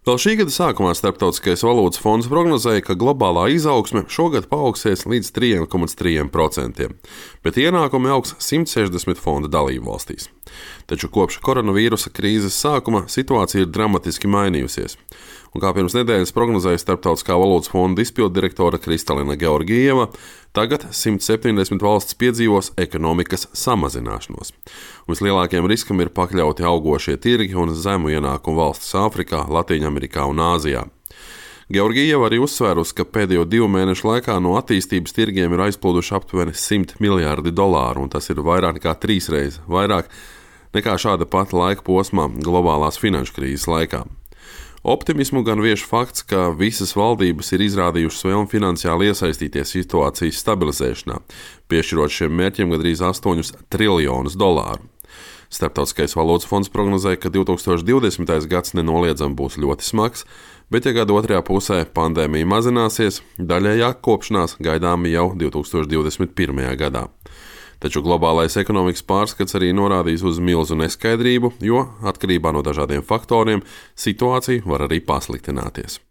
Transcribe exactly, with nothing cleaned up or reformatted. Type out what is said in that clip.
Vēl šī gada sākumā Starptautiskais valūtas fonds prognozēja, ka globālā izaugsme šogad paaugsies līdz trīs komats trīs procenti, bet ienākumi augs simt sešdesmit fonda dalību valstīs. Taču kopš koronavīrusa krīzes sākuma situācija ir dramatiski mainījusies. Un kā pirms nedēļas prognozēja Starptautiskā valūtas fonda izpilddirektora Kristalina Georgieva, tagad simt septiņdesmit valstis piedzīvos ekonomikas samazināšanos. Un vislielākajam riskam ir pakļauti augošie tirgi un zemu ienākumu valstis Āfrikā, Latīņamerikā un Āzijā. Georgieva arī uzsvērusi, ka pēdējo divu mēnešu laikā no attīstības tirgiem ir aizplūduši aptuveni simt miljārdi dolāru, un tas ir vairāk nekā trīs reizes vairāk nekā šāda pati laika posmā globālās finanšu krīzes laikā. Optimismu gan vieš fakts, ka visas valdības ir izrādījušas vēlmi finansiāli iesaistīties situācijas stabilizēšanā, piešķirot šiem mērķiem gandrīz astoņus triljonus dolāru. Starptautiskais valūtas fonds prognozēja, ka divi tūkstoši divdesmitais gads nenoliedzami būs ļoti smags, bet ja gada otrajā pusē pandēmija mazināsies, daļējā kopšanās gaidāma jau divi tūkstoši divdesmit pirmajā gadā. Taču globālais ekonomikas pārskats arī norādīs uz milzu neskaidrību, jo atkarībā no dažādiem faktoriem situācija var arī pasliktināties.